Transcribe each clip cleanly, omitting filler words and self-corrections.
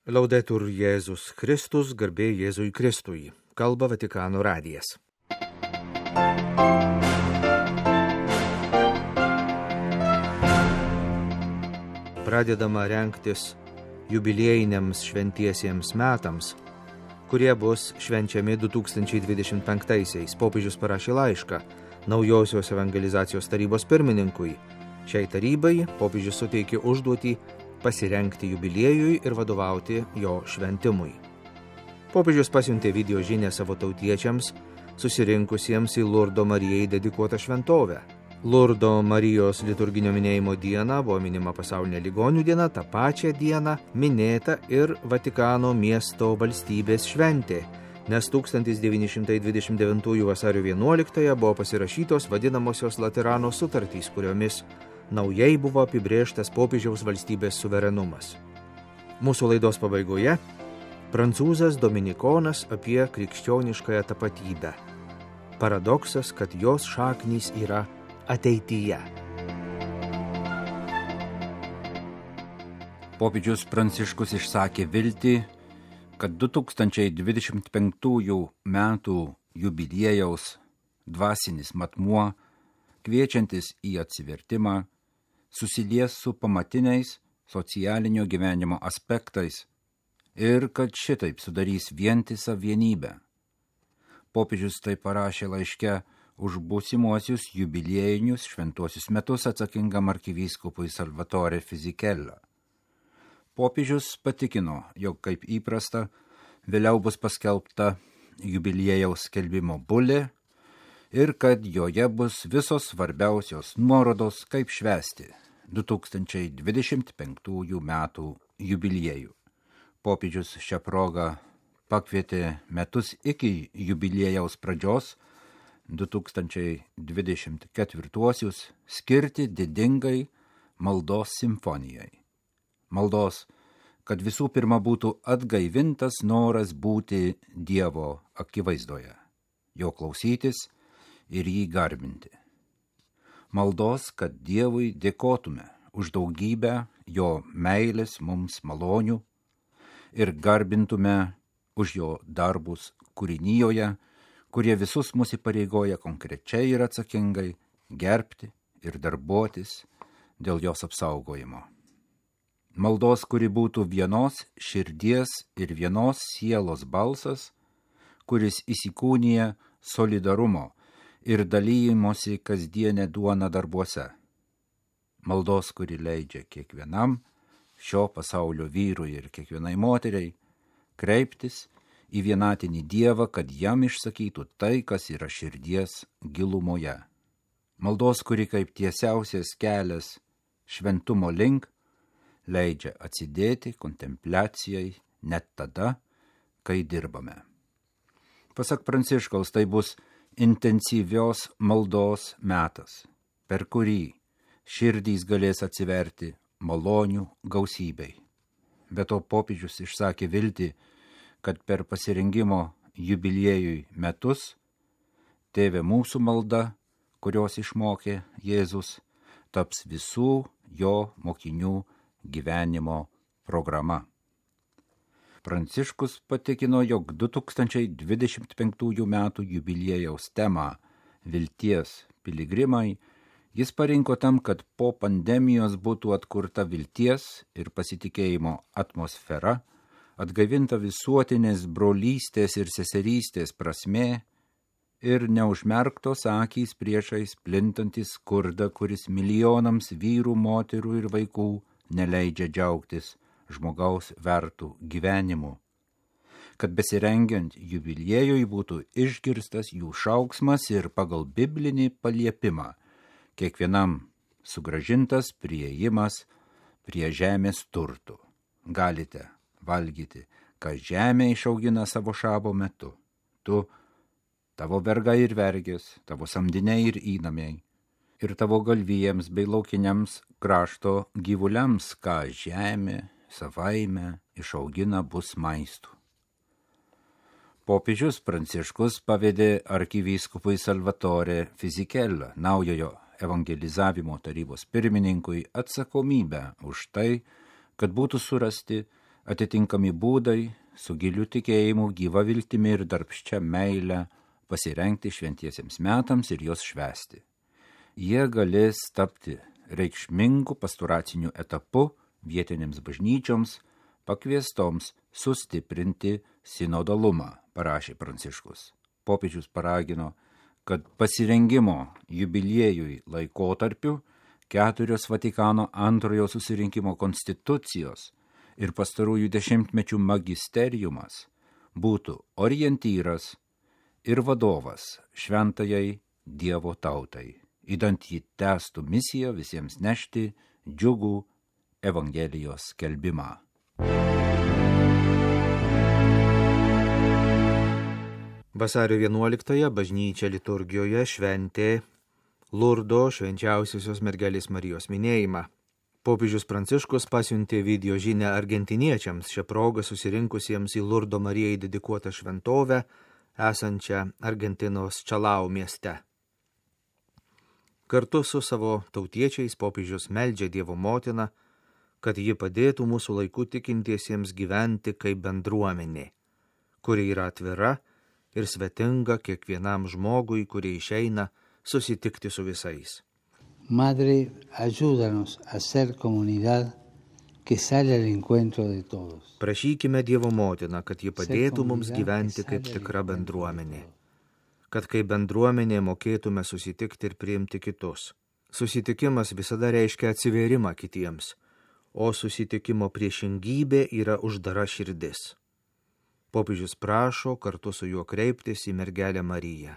Laudetur Jėzus Kristus, garbė Jėzui Kristui. Kalba Vatikano radijas. Pradedama rengtis jubiliejiniams šventiesiems metams, kurie bus švenčiami 2025-aisiais. Popiežius parašė laišką Naujosios evangelizacijos tarybos pirmininkui. Šiai tarybai popiežius suteikė užduotį pasirengti jubiliejui ir vadovauti jo šventimui. Popiežius pasiuntė video žinę savo tautiečiams, susirinkusiems į Lurdo Marijai dedikuotą šventovę. Lurdo Marijos liturginio minėjimo diena buvo minima pasaulinė ligonių diena, tą pačią dieną minėta ir Vatikano miesto valstybės šventė, nes 1929 vasario 11 buvo pasirašytos vadinamosios Laterano sutartys, kuriomis naujai buvo apibrėžtas popiežiaus valstybės suverenumas. Mūsų laidos pabaigoje prancūzas dominikonas apie krikščioniškąją tapatybę. Paradoksas, kad jos šaknys yra ateityje. Popiežius Pranciškus išsakė viltį, kad 2025 metų jubiliejaus dvasinis matmuo, kviečiantis į atsivertimą, susilies su pamatiniais socialinio gyvenimo aspektais ir kad šitaip sudarys vientisą vienybę. Popiežius tai parašė laiške už būsimuosius jubiliejinius šventuosius metus atsakingam arkivyskupui Salvatore Fisichella. Popiežius patikino, jog kaip įprasta, vėliau bus paskelbta jubiliejaus skelbimo bulė ir kad joje bus visos svarbiausios nuorodos, kaip švęsti 2025 metų jubiliejų. Popiežius šią progą pakvietė metus iki jubiliejaus pradžios 2024 skirti didingai maldos simfonijai. Maldos, kad visų pirma būtų atgaivintas noras būti Dievo akivaizdoje, jo klausytis ir jį garbinti. Maldos, kad Dievui dėkotume už daugybę jo meilės mums malonių ir garbintume už jo darbus kūrinijoje, kurie visus mus įpareigoja konkrečiai ir atsakingai gerbti ir darbuotis dėl jos apsaugojimo. Maldos, kuri būtų vienos širdies ir vienos sielos balsas, kuris įsikūnija solidarumo ir dalyjimosi kasdienę duoną darbuose. Maldos, kuri leidžia kiekvienam šio pasaulio vyrui ir kiekvienai moteriai kreiptis į vienatinį Dievą, kad jam išsakytų tai, kas yra širdies gilumoje. Maldos, kuri kaip tiesiausias kelias šventumo link leidžia atsidėti kontempliacijai net tada, kai dirbame. Pasak Pranciškaus, tai bus intensyvios maldos metas, per kurį širdys galės atsiverti malonių gausybei. Be to popiežius išsakė viltį, kad per pasirengimo jubiliejui metus Tėve mūsų malda, kurios išmokė Jėzus, taps visų jo mokinių gyvenimo programa. Pranciškus patikino, jog 2025 metų jubiliejaus temą vilties piligrimai jis parinko tam, kad po pandemijos būtų atkurta vilties ir pasitikėjimo atmosfera, atgaivinta visuotinės brolystės ir seserystės prasmė ir neužmerktos akys priešais plintantys skurdą, kuris milijonams vyrų, moterų ir vaikų neleidžia džiaugtis žmogaus vertų gyvenimu, kad besirengiant jubiliejui būtų išgirstas jų šauksmas ir pagal biblinį paliepimą kiekvienam sugrąžintas priėjimas prie žemės turtų. Galite valgyti, ką žemė išaugina savo šabo metu. Tu, tavo vergai ir vergės, tavo samdiniai ir įnamiai, ir tavo galvijams bei laukiniams krašto gyvuliams, ką žemė savaime išaugina bus maistų. Popiežius Pranciškus pavedė arkivyskupui Salvatore Fisichella, naujojo evangelizavimo tarybos pirmininkui, atsakomybę už tai, kad būtų surasti Atitinkami būdai su giliu tikėjimu, gyva viltimi ir darbščia meile pasirengti šventiesiems metams ir juos švęsti. Jie galės tapti reikšmingu pastoraciniu etapu vietinėms bažnyčioms, pakviestoms sustiprinti sinodalumą, parašė Pranciškus. Popiežius paragino, kad pasirengimo jubiliejui laikotarpiu 4 Vatikano antrojo susirinkimo konstitucijos ir pastarųjų dešimtmečių magisteriumas būtų orientyras ir vadovas šventajai Dievo tautai, idant ji tęstų misiją visiems nešti džiugų Evangelijos skelbimą. Vasario 11-ąją bažnyčia liturgijoje šventė Lurdo švenčiausiosios mergelės Marijos minėjimą. Popiežius Pranciškus pasiuntė video žinią argentiniečiams šią progą susirinkusiems į Lurdo Marijai dedikuotą šventovę, esančią Argentinos Čalau mieste. Kartu su savo tautiečiais popiežius meldžia Dievo motiną, kad ji padėtų mūsų laikų tikintiesiems gyventi kaip bendruomenė, kuri yra atvira ir svetinga kiekvienam žmogui, kurie išeina susitikti su visais. Madre, ayúdanos a ser comunidad que sale al encuentro de todos. Prašykime Dievo motiną, kad ji padėtų mums gyventi kaip tikra bendruomenė, kad kaip bendruomenė mokėtume susitikti ir priimti kitus. Susitikimas visada reiškia atsivėrimą kitiems, o susitikimo priešingybė yra uždara širdis. Popiežius prašo kartu su juo kreiptis į mergelę Mariją.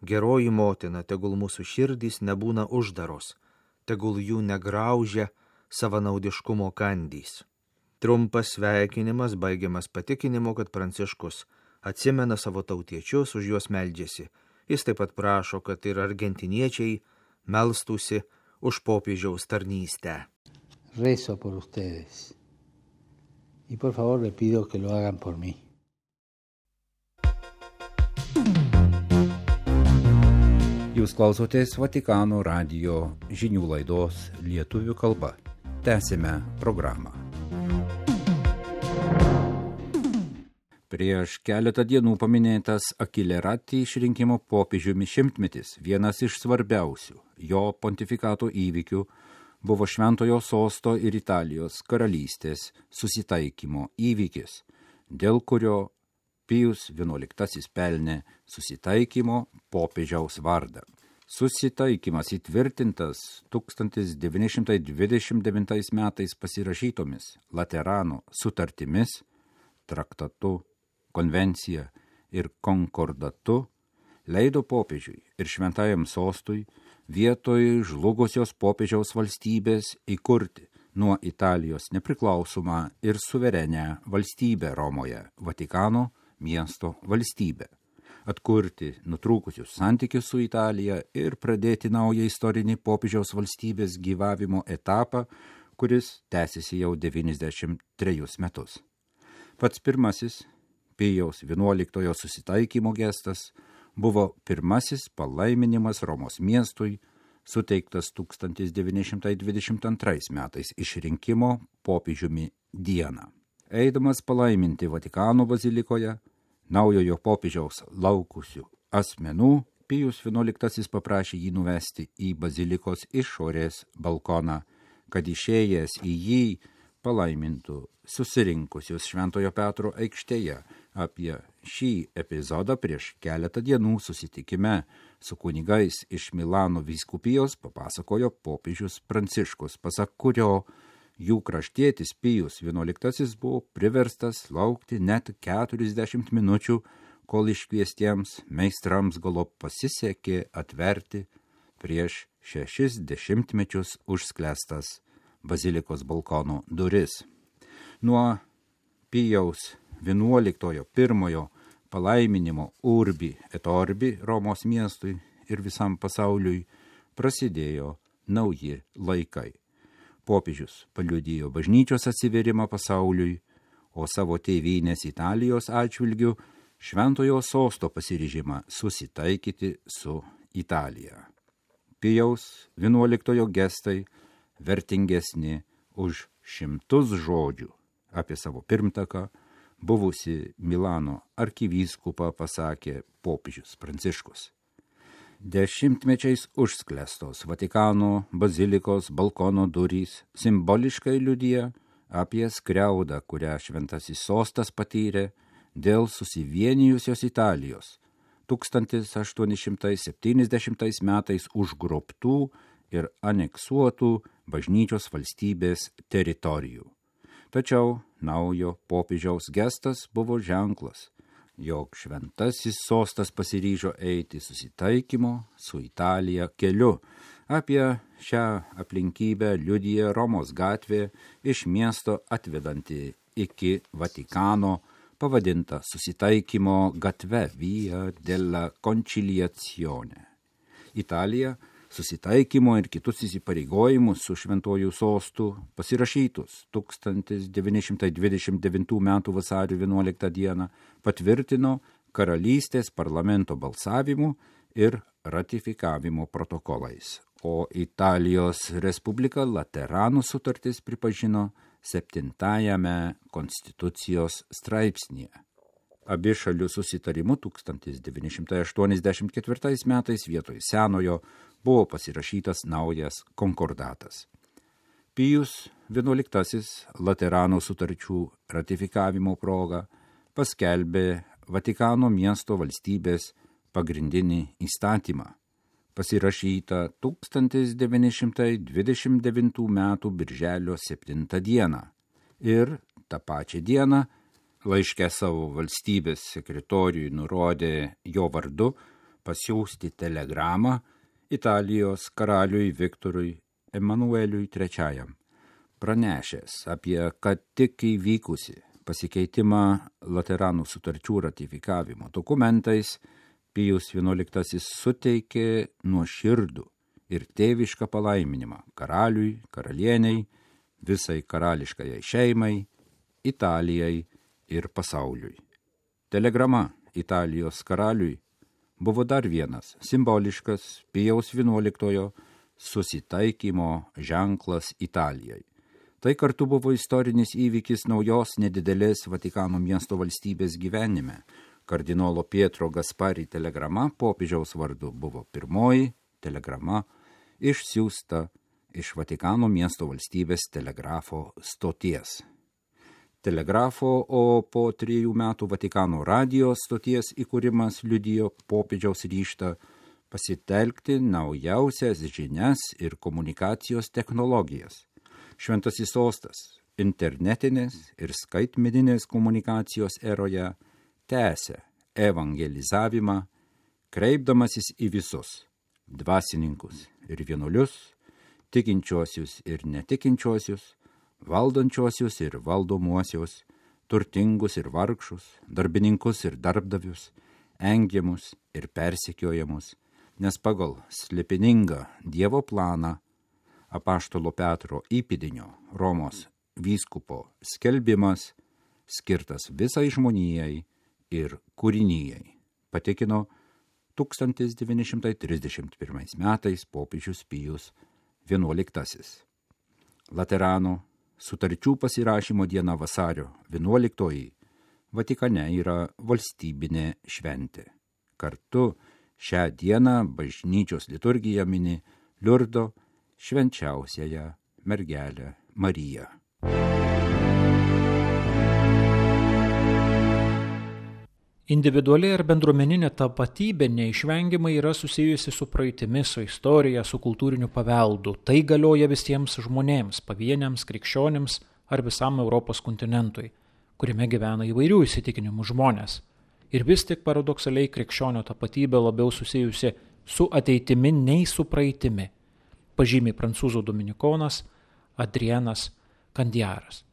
Geroji motina, tegul mūsų širdys nebūna uždaros, tegul jų negraužia savanaudiškumo kandys. Trumpas sveikinimas baigiamas patikinimu, kad Pranciškus atsimena savo tautiečius, už juos meldžiasi. Jis taip pat prašo, kad ir argentiniečiai melstųsi už popiežiaus tarnystę. Rezo por ustedes. Y por favor le pido que lo hagan por mí. Jūs klausotės Vatikano radijo žinių laidos lietuvių kalba. Tęsime programą. Prieš keletą dienų paminėtas Akilerati išrinkimo popiežiumi 100-metis, vienas iš svarbiausių jo pontifikato įvykių, buvo Šventojo sosto ir Italijos karalystės susitaikymo įvykis, dėl kurio Pijus XI pelnė susitaikymo popiežiaus vardą. Susitaikymas įtvirtintas 1929 metais pasirašytomis Laterano sutartimis, traktatu, konvencija ir konkordatu, leido popiežiui ir šventajam sostui vietoj žlugusios popiežiaus valstybės įkurti nuo Italijos nepriklausomą ir suverenę valstybę Romoje, Vatikano miesto valstybę, atkurti nutrūkusius santykius su Italija ir pradėti naują istorinį popiežiaus valstybės gyvavimo etapą, kuris tęsiasi jau 93 metus. Pats pirmasis Pijaus XI susitaikymo gestas buvo pirmasis palaiminimas Romos miestui, suteiktas 1922 metais išrinkimo popiežiumi dieną. Eidamas palaiminti Vatikano bazilikoje, naujojo popiežiaus laukusių asmenų, Pijus XI paprašė jį nuvesti į bazilikos išorės balkoną, kad išėjęs į jį palaimintų susirinkusius Šventojo Petro aikštėje. Apie šį epizodą prieš keletą dienų susitikime su kunigais iš Milano vyskupijos papasakojo popiežius Pranciškus, pasak kurio jų kraštietis Pijus XI buvo priverstas laukti net 40 minučių, kol iškviestiems meistrams galop pasisekė atverti prieš 60 mečius užsklęstas bazilikos balkono duris. Nuo Pijaus XI pirmojo palaiminimo Urbi et Orbi Romos miestui ir visam pasauliui prasidėjo nauji laikai. Popiežius paliudijo bažnyčios atsiverimą pasauliui, o savo tėvynės Italijos atžvilgiu Šventojo sosto pasiryžimą susitaikyti su Italija. Pijaus XI gestai vertingesni už šimtus žodžių. Apie savo pirmtaką, buvusi Milano arkivyskupą, pasakė popiežius Pranciškus. Dešimtmečiais užsklestos Vatikano bazilikos balkono durys simboliškai liudija apie skriaudą, kurią šventasis sostas patyrė dėl susivienijusios Italijos 1870 metais užgrobtų ir aneksuotų bažnyčios valstybės teritorijų. Tačiau naujo popiežiaus gestas buvo ženklas, jog šventasis sostas pasiryžo eiti susitaikymo su Italija keliu. Apie šią aplinkybę liudija Romos gatvė iš miesto atvedanti iki Vatikano, pavadinta susitaikymo gatve Via della Conciliazione. Italija susitaikymo ir kitus įsipareigojimus su šventuoju sostu pasirašytus 1929 m. vasario 11 d. patvirtino karalystės parlamento balsavimu ir ratifikavimo protokolais, o Italijos Respublika Lateranų sutartis pripažino 7 konstitucijos straipsnyje. Abi šalių susitarimu 1984 metais vietoj senojo buvo pasirašytas naujas konkordatas. Pijus XI Laterano sutarčių ratifikavimo proga paskelbė Vatikano miesto valstybės pagrindinį įstatymą, pasirašytą 1929 m. birželio 7 d. ir tą pačią dieną laiške savo valstybės sekretoriui nurodė jo vardu pasiųsti telegramą Italijos karaliui Viktorui Emanueliui III, pranešęs apie ką tik įvykusi pasikeitimą Lateranų sutarčių ratifikavimo dokumentais. Pijus XI suteikė nuoširdų ir tėvišką palaiminimą karaliui, karalieniai, visai karališkajai šeimai, Italijai ir pasauliui. Telegrama Italijos karaliui buvo dar vienas simboliškas Pijaus XI susitaikymo ženklas Italijai. Tai kartu buvo istorinis įvykis naujos nedidelės Vatikano miesto valstybės gyvenime. Kardinolo Pietro Gaspari telegrama popiežiaus vardu buvo pirmoji telegrama išsiųsta iš Vatikano miesto valstybės telegrafo stoties. Telegrafo, o po 3 metų Vatikano radijo stoties įkūrimas liudijo popiežiaus ryžtą pasitelkti naujausias žinias ir komunikacijos technologijas. Šventasis sostas internetinės ir skaitmeninės komunikacijos eroje tęsia evangelizavimą, kreipdamasis į visus dvasininkus ir vienuolius, tikinčiuosius ir netikinčiuosius, valdančiuosius ir valdomuosius, turtingus ir vargšus, darbininkus ir darbdavius, engiamus ir persekiojamus, nes pagal slėpiningą Dievo planą apaštalo Petro įpėdinio Romos vyskupo skelbimas skirtas visai žmonijai ir kūrinijai, patikino 1931 metais popiežius Pijus XI. Laterano sutarčių pasirašymo diena vasario 11 Vatikane yra valstybinė šventė. Kartu šią dieną bažnyčios liturgija mini Liurdo švenčiausiąją mergelę Mariją. Individuali ir bendruomeninė tapatybė neišvengiamai yra susijusi su praeitimi, su istorija, su kultūriniu paveldu. Tai galioja visiems žmonėms, pavieniams, krikščionims ar visam Europos kontinentui, kuriame gyvena įvairių įsitikinimų žmonės. Ir vis tik paradoksaliai krikščionio tapatybė labiau susijusi su ateitimi nei su praeitimi, pažymi prancūzų dominikonas Adrienas Kandiaras.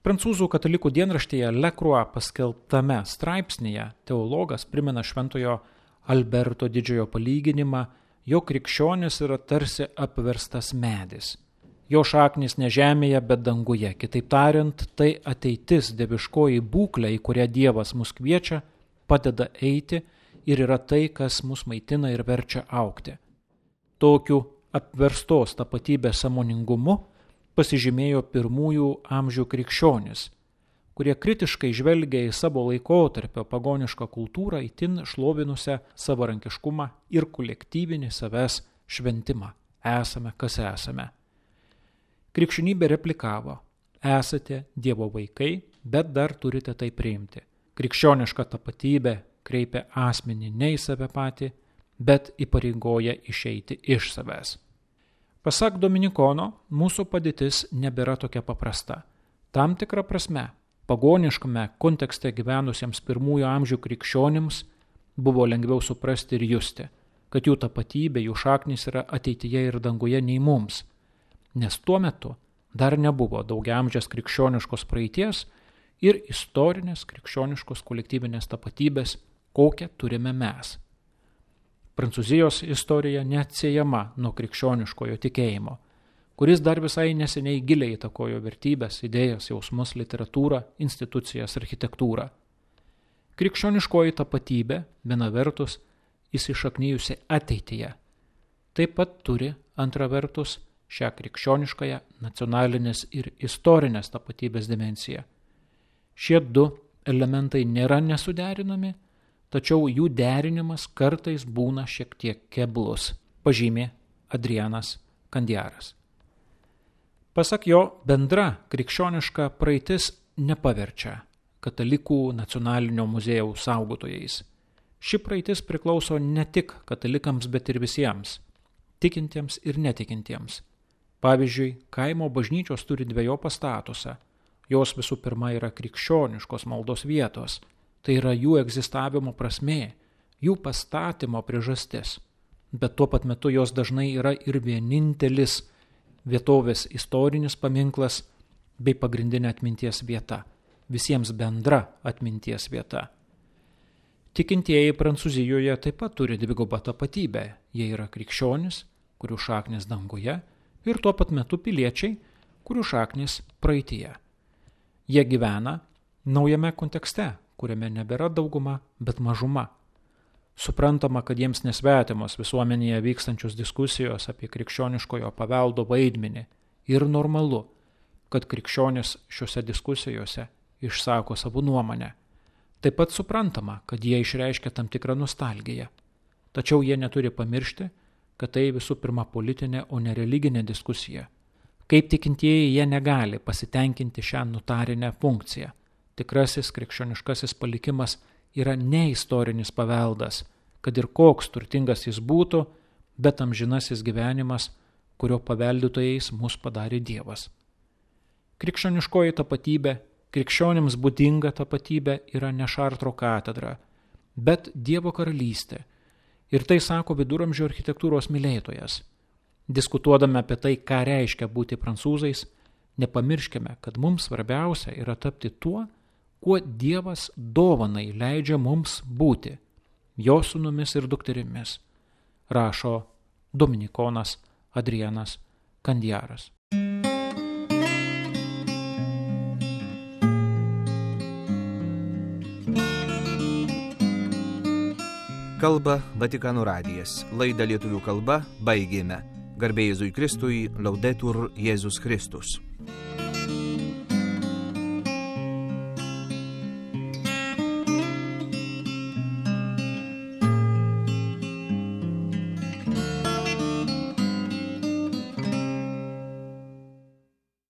Prancūzų katalikų dienraštyje Le Croix paskelbtame straipsnyje teologas primena šventojo Alberto didžiojo palyginimą, jog krikščionis yra tarsi apverstas medis. Jo šaknis ne žemėje, bet danguje. Kitaip tariant, tai ateitis, dieviškoji būklė, į kurią Dievas mus kviečia, padeda eiti ir yra tai, kas mus maitina ir verčia augti. Tokiu apverstos tapatybės sąmoningumu pasižymėjo pirmųjų amžių krikščionis, kurie kritiškai žvelgia į savo laikotarpio pagonišką kultūrą, itin šlovinusią savarankiškumą ir kolektyvinį savęs šventimą. Esame, kas esame. Krikščionybė replikavo: esate Dievo vaikai, bet dar turite tai priimti. Krikščioniška tapatybė kreipia asmenį ne į save patį, bet įpareigoja išeiti iš savęs. Pasak Dominikono, mūsų padėtis nebėra tokia paprasta. Tam tikra prasme, pagoniškame kontekste gyvenusiems pirmųjų amžių krikščionims buvo lengviau suprasti ir justi, kad jų tapatybė, jų šaknys yra ateityje ir danguje nei mums, nes tuo metu dar nebuvo daugiaamžės krikščioniškos praeities ir istorinės krikščioniškos kolektyvinės tapatybės, kokią turime mes. Prancūzijos istorija neatsiejama nuo krikščioniškojo tikėjimo, kuris dar visai neseniai giliai įtakojo vertybės, idėjas, jausmus, literatūrą, institucijas, architektūrą. Krikščioniškoji tapatybė, viena vertus, įsišaknyjusi ateityje, taip pat turi, antra vertus, šią krikščioniškąją nacionalinės ir istorinės tapatybės dimensiją. Šie du elementai nėra nesuderinami, tačiau jų derinimas kartais būna šiek tiek keblus, pažymė Adrianas Kandiaras. Pasak jo, bendra krikščioniška praeitis nepaverčia katalikų nacionalinio muziejaus saugotojais. Ši praeitis priklauso ne tik katalikams, bet ir visiems, tikintiems ir netikintiems. Pavyzdžiui, kaimo bažnyčios turi dvejopą statusą. Jos visų pirma yra krikščioniškos maldos vietos, tai yra jų egzistavimo prasmė, jų pastatymo priežastis, bet tuo pat metu jos dažnai yra ir vienintelis vietovės istorinis paminklas bei pagrindinė atminties vieta, visiems bendra atminties vieta. Tikintieji Prancūzijoje taip pat turi dvigubą tapatybę, jie yra krikščionys, kurių šaknys danguje, ir tuo pat metu piliečiai, kurių šaknys praeityje. Jie gyvena naujame kontekste, kuriame nebėra dauguma, bet mažuma. Suprantama, kad jiems nesvetimos visuomenėje vykstančios diskusijos apie krikščioniškojo paveldo vaidmenį ir normalu, kad krikščionys šiuose diskusijose išsako savo nuomonę. Taip pat suprantama, kad jie išreiškia tam tikrą nostalgiją. Tačiau jie neturi pamiršti, kad tai visų pirma politinė, o ne religinė diskusija. Kaip tikintieji jie negali pasitenkinti šią notarinę funkciją. Tikrasis krikščioniškasis palikimas yra ne istorinis paveldas, kad ir koks turtingas jis būtų, bet amžinasis gyvenimas, kurio paveldėtojais mus padarė Dievas. Krikščioniškoji tapatybė, krikščionims būdinga tapatybė yra ne Šartro katedra, bet Dievo karalystė. Ir tai sako viduramžių architektūros mylėtojas. Diskutuodami apie tai, ką reiškia būti prancūzais, nepamirškime, kad mums svarbiausia yra tapti tuo, kuo Dievas dovanai leidžia mums būti, jo sūnumis ir dukterimis, rašo dominikonas Adrianas Kandiaras. Kalba Vatikano radijas. Laidą lietuvių kalba baigėme. Garbė Jėzui Kristui, Laudetur Jėzus Kristus.